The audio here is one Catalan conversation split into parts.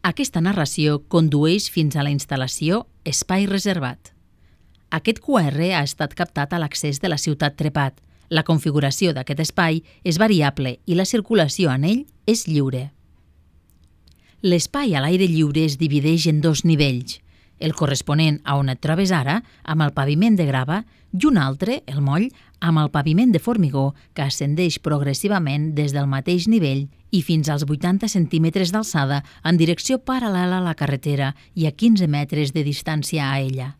Aquesta narració condueix fins a la instal·lació Espai Reservat. Aquest QR ha estat captat a l'accés de la ciutat Trepat. La configuració d'aquest espai és variable i la circulació en ell és lliure. L'espai a l'aire lliure es divideix en dos nivells, el corresponent a on et trobes ara, amb el paviment de grava, i un altre, el moll, amb el paviment de formigó que ascendeix progressivament des del mateix nivell i fins als 80 centímetres d'alçada en direcció paral·lela a la carretera i a 15 metres de distància a ella.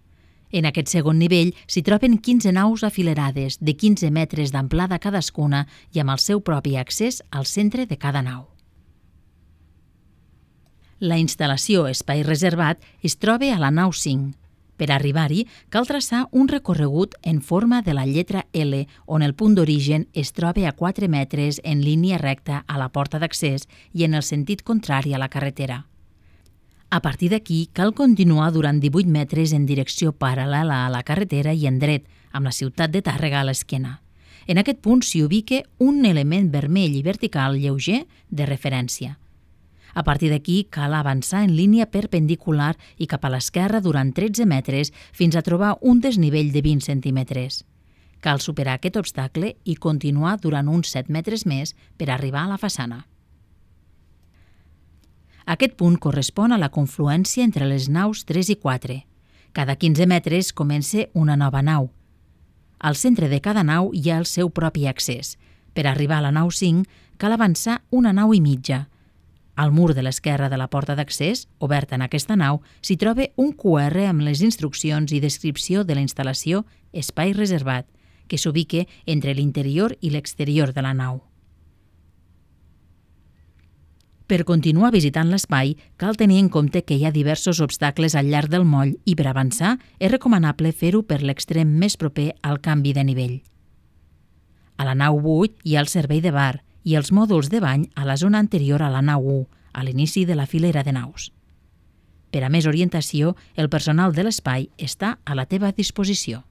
En aquest segon nivell s'hi troben 15 naus afilerades de 15 metres d'amplada cadascuna i amb el seu propi accés al centre de cada nau. La instal·lació Espai Reservat es troba a la nau 5. Per arribar-hi, cal traçar un recorregut en forma de la lletra L, on el punt d'origen es troba a 4 metres en línia recta a la porta d'accés i en el sentit contrari a la carretera. A partir d'aquí, cal continuar durant 18 metres en direcció paral·lela a la carretera i en dret, amb la ciutat de Tàrrega a l'esquena. En aquest punt s'hi ubica un element vermell i vertical lleuger de referència. A partir d'aquí, cal avançar en línia perpendicular i cap a l'esquerra durant 13 metres fins a trobar un desnivell de 20 centímetres. Cal superar aquest obstacle i continuar durant uns 7 metres més per arribar a la façana. Aquest punt correspon a la confluència entre les naus 3 i 4. Cada 15 metres comença una nova nau. Al centre de cada nau hi ha el seu propi accés. Per arribar a la nau 5, cal avançar una nau i mitja. Al mur de l'esquerra de la porta d'accés, oberta en aquesta nau, s'hi troba un QR amb les instruccions i descripció de la instal·lació Espai Reservat, que s'ubica entre l'interior i l'exterior de la nau. Per continuar visitant l'espai, cal tenir en compte que hi ha diversos obstacles al llarg del moll i per avançar és recomanable fer-ho per l'extrem més proper al canvi de nivell. A la nau 8 hi ha el servei de bar i els mòduls de bany a la zona anterior a la nau 1, a l'inici de la filera de naus. Per a més orientació, el personal de l'espai està a la teva disposició.